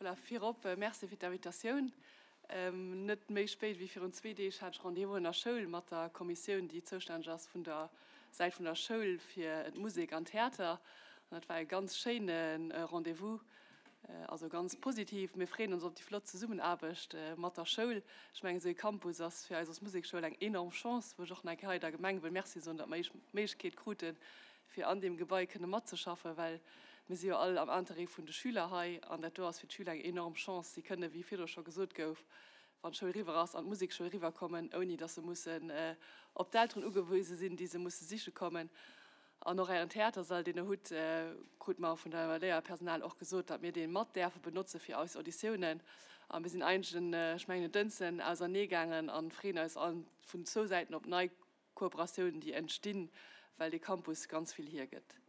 Voilà, virop Merci fir d'Invitatioun. Net méi spéit wéi virun zwee Deeg hat ech Rendez-vous an der Schoul mat der Kommissioun, déi zoustänneg ass vun der Säit vun der Schoul fir d'Musek an Theater. An dat war e ganz schéine Rendez-vous, also ganz positiv. Mir freeën ons op déi flott Zesummenaarbecht mat der Schoul. Ech mengen, esou ee Campus ass fir eis als Musekschoul eng enorm Chance, wou ech och nach eng Kéier hei der Gemeng wëll Merci soen, datt mer d'Méiglechkeet kruten, fir an deem Gebai kënne matzeschaffen, well mir si jo all am Interêt vun de Schüler hei an dat do ass fir d'Schüler eng enorm Chance. Si kënne, wéi virdru scho gesot gouf, wann d'Schoul eriwwer ass, an d'Musekschoul eriwwerkommen, ouni datt se mussen op d'Elteren ugewise sinn, déi se musse siche kommen. An och Ären Theatersall, deen Der hutt, krute mer vun der Léierpersonal och gesot, datt mir dee mat däerfe benotze fir eis Auditiounen. A mir sinn eigentlech en, ech mengen en Dënschden, auserneegaangen a freeën eis all vun zwou Säiten op nei Kooperatiounen, déi entstinn, well dee Campus ganz vill hiergëtt.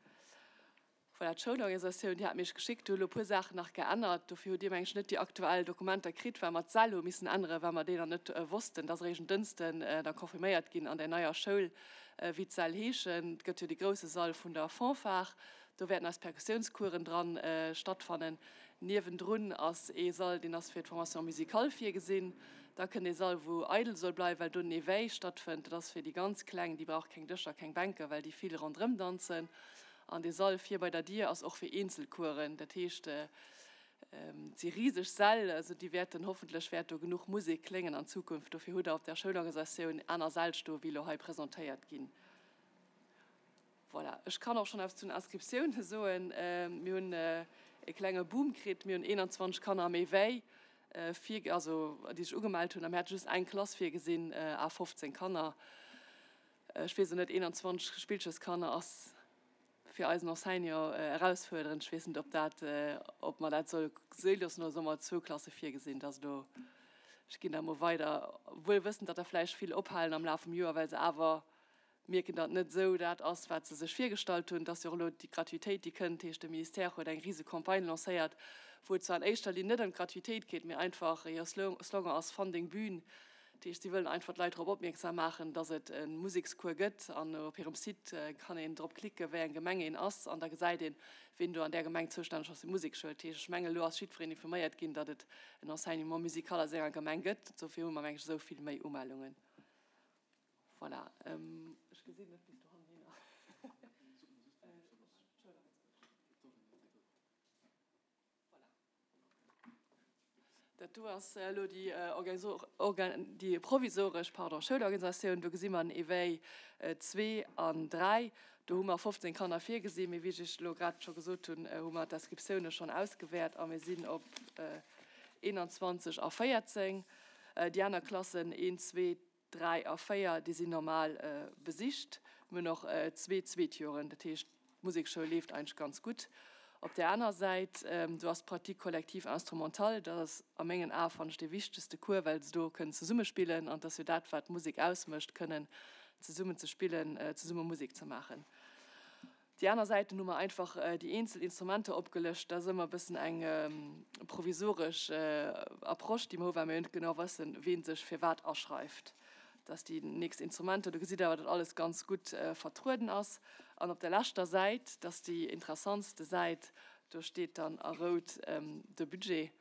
Voilà, d'Schoulorganisatioun, déi hat mir iech geschickt, do hu lo e puer Saachen nach geännert. Dofir hutt Dir, meng ech, net déi aktuell Dokumenter kritt, well mer d'Säll hu missen änneren, well mer déi nach net wossten. Dat ass eréischt en Dënschden da confirméiert ginn an där neier Schoul, wéi d'Säll heeschen. Et gëtt jo dee grousse Sall vun der Fanfare, do wäerten eis Perkussiounscoursen dran stattfannen. Niewendrun ass ee Sall, deen ass fir d'Formation musicale virgesinn. Da kënnt ee Sall, wou eidel soll bleiwen, well do den Éveil stattfënnt. Dat ass fir déi ganz Kleng, déi brauche keng Dëscher, keng Bänken, well déi vill ronderëm danzen. An dee Sall vir bei der Dier ass och fir Eenzelcoursen. Dat heescht, et si riseg Säll, also déi wäerten, hoffentlech wäert do genuch Musek kléngen an Zukunft. Dofir hutt Der op der Schoulorganisatioun aner Säll stoen, wéi elo hei presentéiert ginn. Voilà, ech kann och schonn eppes zu den Inscriptiounen soen. Mir hunn e klenge Boom kritt. Mir hunn 21 Kanner méi wéi vir, also déi sech ugemellt hunn. A mir hate just eng Klass virgesinn à 15 Kanner. Ech weess elo net, 21 Spillcheskanner ass fir eisen Enseignant erausfuerderend. Ech weess net, ob dat, ob mer dat solle sou loossen oder solle mer zwou Klasse virgesinn. Dat ass elo, ech ginn dat emol weider, wuel wëssend, datt der vläicht vill ophalen am Laf vum Joer, well se awer mierken, datt net esou dat ass, wat se sech virgestallt hunn. Et ass jo och elo déi Gratuitéit, déi kënnt. Dat heescht, de Ministère huet eng rise Campagne lancéiert, wou et zwar an éischter Linn net ëm d'Gratuitéit geet, mee einfach hire Slogan ass Funding Bühn. Dat heescht, si wëllen einfach d'Leit drop opmierksam maachen, datt et e Musekscours gëtt. An op hirem Site kann een drop klicken, wéi eng Gemeng een ass, an da gesäit een, wien do an där Gemeng zoustänneg ass fir d'Musekschoul. Dat heescht, ech mengen, elo ass jiddwereen informéiert ginn, datt et en Enseignement musical a senger Gemeng gëtt. Dofir hu mer, meng ech, esou vill méi Umellungen. Voilà, ech gesinn net bis dohannen hinner. Dat do ass elo déi déi provisoresch, pardon, Schoulorganisatioun. Do gesi mer den Éveil zwee an dräi. Do hu mer 15 Kanner virgesinn, mee wéi ech Iech elo grad scho gesot hunn, hu mer d'Inscriptioune schonn ausgewäert a mir sinn op 21 a 14. Déi aner Klassen, een, zwee, 3 a 4, déi sinn normal besicht. Mir hunn och zwee Zweetjoren, dat heescht d'Musekschoul leeft eigentlech ganz gutt. Op där aner Säit, do ass d'Pratique collective instrumentale, dat ass a mengen Ae fannen ech dee wichtegste Cours, well se do kënnen zesumme spillen an et ass jo dat wat d'Musek ausmécht, kënnen zesummen ze spillen, zesumme Musek ze maachen. Déi aner Säiten hu mer einfach déi eenzel Instrumenter opgelëscht. Dat ass ëmmer e bëssen eng provisoresch Approche, déi mer hu well mer jo net genau wëssen, ween sech fir wat aschreift. Dat ass déi nächst Instrumenter. Do gesitt Der awer, datt alles ganz gutt vertrueden ass. An op der leschter Säit, dat ass déi interessantste Säit, do steet dann a rout de Budget.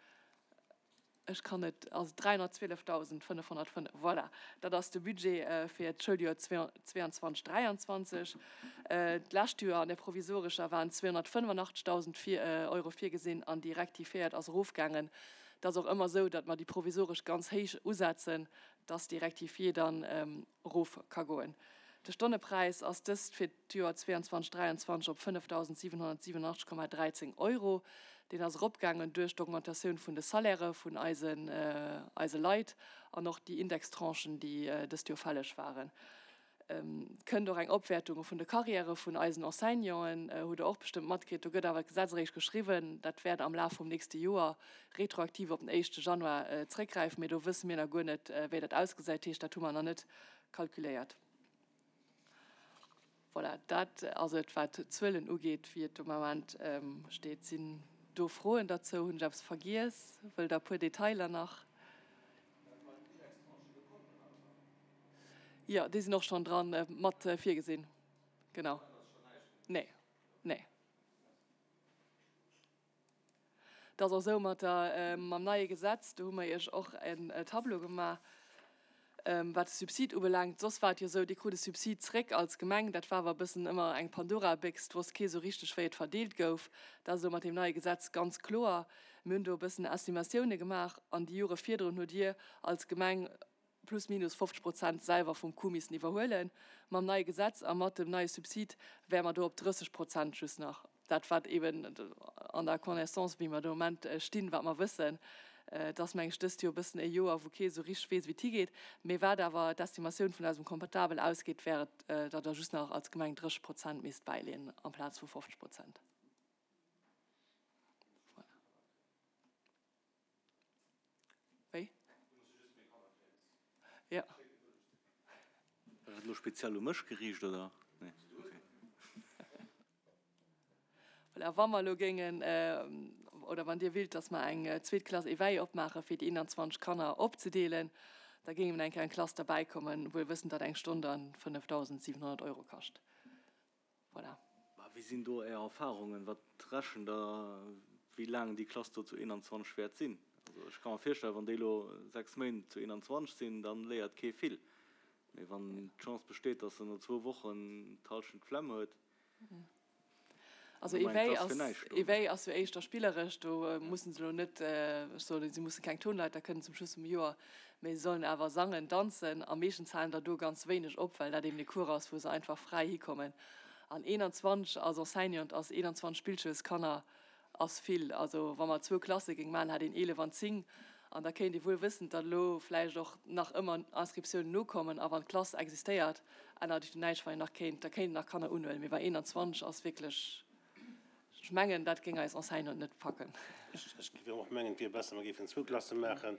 Ech kann et, also 312.505, voilà, dat ass de Budget fir d'Schouljoer 22, 23. D'lescht Joer an där provisorescher waren 285.000 Euro virgesinn an déi rectifiéiert ass erofgaangen. Et ass och ëmmer esou, datt mer déi provisoresch ganz héich usetzen, datt déi rectifiée dann erof ka goen. De Stonnepräis ass dëst fir d'Joer 22, 23 op 5.787,13 Euro. Deen ass eropgaangen duerch d'Augmentatioun vun de Salairë vun eisen eise Leit an och déi Indextranchen, déi dëst Joer fälleg waren. Et kënnt och eng Opwäertung vun de Carrièrë vun eisen Enseignanten, hutt Der och bestëmmt matkritt. Do gëtt awer d'Gesetz eréischt geschriwwen. Dat wäert am Laf vum nächste Joer retroaktiv op den éischte Januar zréckgräifen, mee do wësse mir nach guer net, wéi dat ausgesäit. Dat heescht, dat hu mer nach net kalkuléiert. Voilà, dat ass et, wat d'Zuelen ugeet, wéi et um Ament steet. Sinn do Froen derzou? Hunn ech eppes vergiess? Wëllt Der e puer Detailer nach? Jo, déi sinn och schonn dran mat virgesinn. Genau. Nee, nee. Et ass och esou mat der, mam neie Gesetz, do hu mer Iech och en Tableau gemaach, wat de Subsid ubelaangt. Soss war et jo esou, Dir krut e Subsid zréck als Gemeng. Dat war awer e bëssen ëmmer eng Pandora-Béchs, et wosst kee sou richteg, wéi et verdeelt gouf. Dat ass elo mat deem neie Gesetz ganz kloer. Mir hunn do e bëssen Estimatioune gemaach an déi Jore virdrun hutt Dir als Gemeng plus minus 50 Prozent selwer vum Coût missen iwwerhuelen. Mam neie Gesetz a mat dem neie Subsid wäre mer do op 30 Prozent just nach. Dat wat eben an der Connaissance, wéi mer de Moment stinn, wat mer wëssen, et ass meng ech dëst Joer e bëssen e Joer, wou kee esou richteg weess, wéi et higeet. Mee wat awer d'Estimatioun vun eisem Comptabel ausgeet, wär et, datt Der just nach als Gemeng 30 Prozent misst bäileeën amplaz vu 50 Prozent. Voilà. Wéi? Ja. War dat elo speziell u mech geriicht, oder? Nee, okay. Voilà, wa mer elo géingen, oder wann Dir willt, dass mer eng zweet Klass Éveil opmaache fir déi 21 Kanner opzedeelen, da géing eben eng Kéier eng Klass derbäikommen, wuel wëssend, datt eng Stonn dann 5.700 Euro kascht. Voilà. Mä wéi sinn do Är Erfahrungen? Wat rechent Der, wéi laang déi Klass do zu 21 wäert sinn? Also ech ka mer virstellen, wann déi elo 6 Méint zu 21 sinn, da léiert kee vill. Mee wann d'Chance besteet, datt se no zwou Wochen d'Hallschent d'Flemm huet, Also Éveil ass, Éveil ass jo éischter spilleresch, do mussen se elo net, ech soen, si musse keng Tonleiter kënnen zum Schluss vum Joer, mee se sollen awer sangen, danzen a meeschtens halen der do ganz wéineg op, well dat eben e Cours ass, wou se einfach fräi hikommen. An 21 als Enseignant ass 21 Spillschoulskanner Ass vill. Also wa mer zwou Klasse géing maachen, hätt een 11 an 10. An da kéint ee wuel wëssen, datt elo vläicht och nach ëmmer Inscriptiounen nokommen. A wann d'Klass existéiert, ännert ech do näischt, wann een nach kéint, da kéint een nach Kanner unhuelen. Mee bei 21 ass wierklech, ech mengen, dat géing eis Enseignanten net packen. Ech géif och mengen, et wier besser, mer géifen zwou Klasse maachen,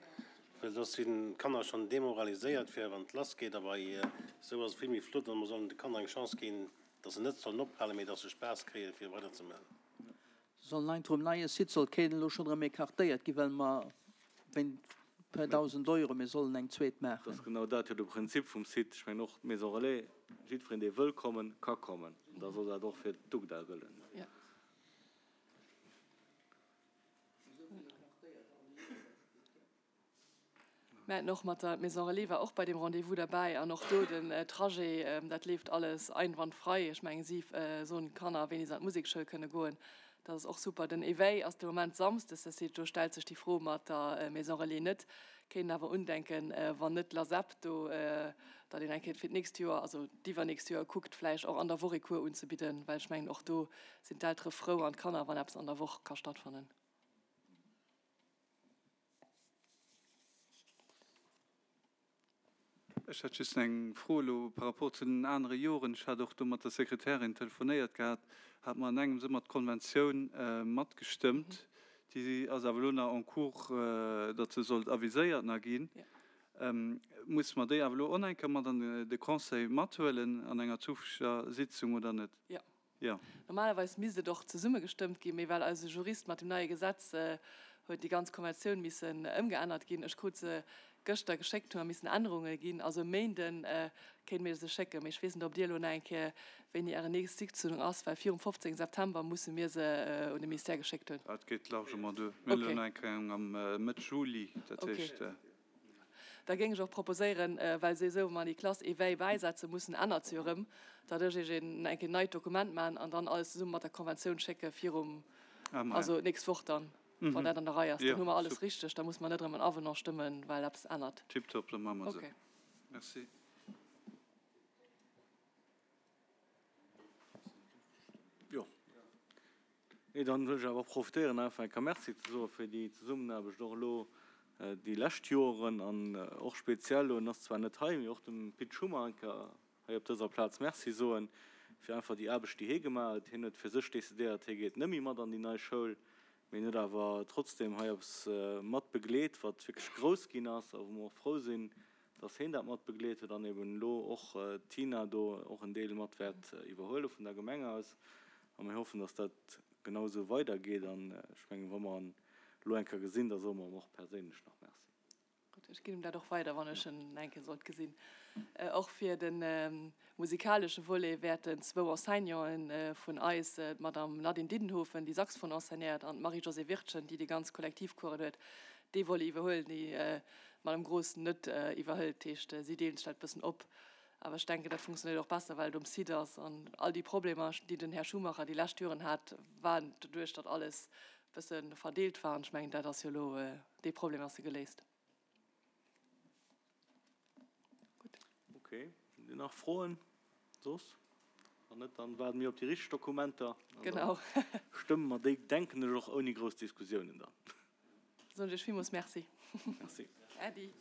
well soss sinn d'Kanner schonn demoraliséiert, fir wann et lassgeet. A bei esou ass et vill méi flott a mer sollen de Kanner eng Chance ginn, datt se net sollen ophalen, mee datt se Spaass kréien, fir weiderzemaachen. Soll nein vum neie Site soll keen elo schonn erëm écartéiert ginn, well mer wéint puer 1.000 Euro mir sollen eng zweet maachen. Dat ass genau dat jo de Prinzip vum Site. Ech mengen och d'Maison Relais, jiddwereen dee wëll kommen, ka kommen. An da soll dat och fir d'UGDA gëllen. Mir haten och mat der Maison Relais war och bei deem Rendez-vous derbäi an och do den Trajet, dat leeft alles einwandfrei. Ech mengen, si soen d'Kanner, wéini se an d'Musekschoul kënne goen. Dat ass och super. Den Éveil ass de Moment samsdes, dat heescht, do stellt sech déi Fro mat der Maison Relais net. Kéint een awer undenken, wann net d'LASEP do, datt een eng Kéier fir d'nächst Joer, also d'iwwernächst Joer kuckt, vläicht och an der Woch ee Cours unzebidden, well ech mengen, och do sinn d'Eltere frou an d'Kanner, wann eppes an der Woch ka stattfannen. Ech hätt just eng Fro elo par rapport zu den anere Joren. Ech hat och do mat der Sekretärin telefonéiert gehat, hat mer an engems ëmmer d'Konventioun matgestëmmt. Déi ass awer elo nach en cours, datt se sollt aviséiert nach ginn. Musse mer déi awer elo och nach eng Kéier mat an de Conseil mathuelen an enger zukünfteger Sitzung oder net? Jo. Jo. Normalerweis misst et och zesumme gestëmmt ginn, mee well eise Jurist mat dem neie Gesetz huet déi ganz Konventioun missen ëmgeännert ginn. Ech krut se gëschter geschéckt, hu mer missen Ännerunge ginn. Also e Méinde kéinte mir se schécken, mee ech weess net, ob Dir elo nach eng Kéier, wéini Äre nächst Sitzung ass, well virum 15 September musse mir se un de Ministère geschéckt hunn. Dat geet largement duer. Mir hunn elo nach eng Kéier eng am Mëtt Juli, dat heescht. Da géing ech och proposéieren, well se esou, wa mer déi Classe éveil bäisetze mussen, ännert se jo erëm, datt ech Iech een eng Kéier neit Dokument maachen an dann alles zesumme mat der Konventioun schécke virum, also d'nächst Woch dann, wann dat an der Rei ass. Dann hu mer alles richteg, da musse mer net erëm en Avenant stëmmen, well eppes ännert. Tiptop, da maache mer esou. Merci. Jo. Nee, dann wëll ech awer och profitéieren, einfach eng Kéier Merci ze soe fir déi Zesummenaarbecht och elo déi lescht Joren an och speziell elo, en ass zwar net hei, mee och dem Pit Schummer eng Kéier hei op dëser Plaz Merci soen fir einfach déi Aarbecht, déi hie gemaach huet. Hien huet fir sech decidéiert, hie geet net méi mat an déi nei Schoul, mee hien huet awer trotzdem hei eppes mat begleet, wat wierklech grouss ginn ass a wou mer och frou sinn, dass hien dat mat begleet huet an eben elo och d'Tina do och en Deel mat wäert iwwerhuele vun der Gemeng aus. A mir hoffen, dass dat genau esou weidergeet. An ech mengen, wa mer en elo eng Kéier gesinn, da soe mer em och perséinlech nach Merci. Gutt. Ech ginn em dat och weider, wann ech en eng Kéier sollt gesinn. Och fir de musikalesche Volet wäerten zwou Enseignanten vun eis, d'Madame Nadine Diddenhofen, déi Saxophon enseignéiert, an d'Marie-Josée Wirtgen, déi déi ganz Kollektivcoursen huet, dee Volet iwwerhuelen, déi d'Madame Gross net iwwerhëlt. Dat heescht, si deelen sech dat e bëssen op. Awer ech denken, dat funktionéiert och besser, well et um Site ass. An all déi Problemer, déi den Här Schumacher déi lescht Joren hat, waren doduerch, datt alles e bësse verdeelt war. An ech mengen, dat ass jo elo, dee Problem ass jo geléist. Gutt. Okay. Sinn nach Froen soss? Wann net, dann waarde mir op déi richteg Dokumenter. Genau. Stëmme mer déi, denken ech, och ouni grouss Diskussiounen dann. Soen ech Iech villmools Merci. Merci. Äddi.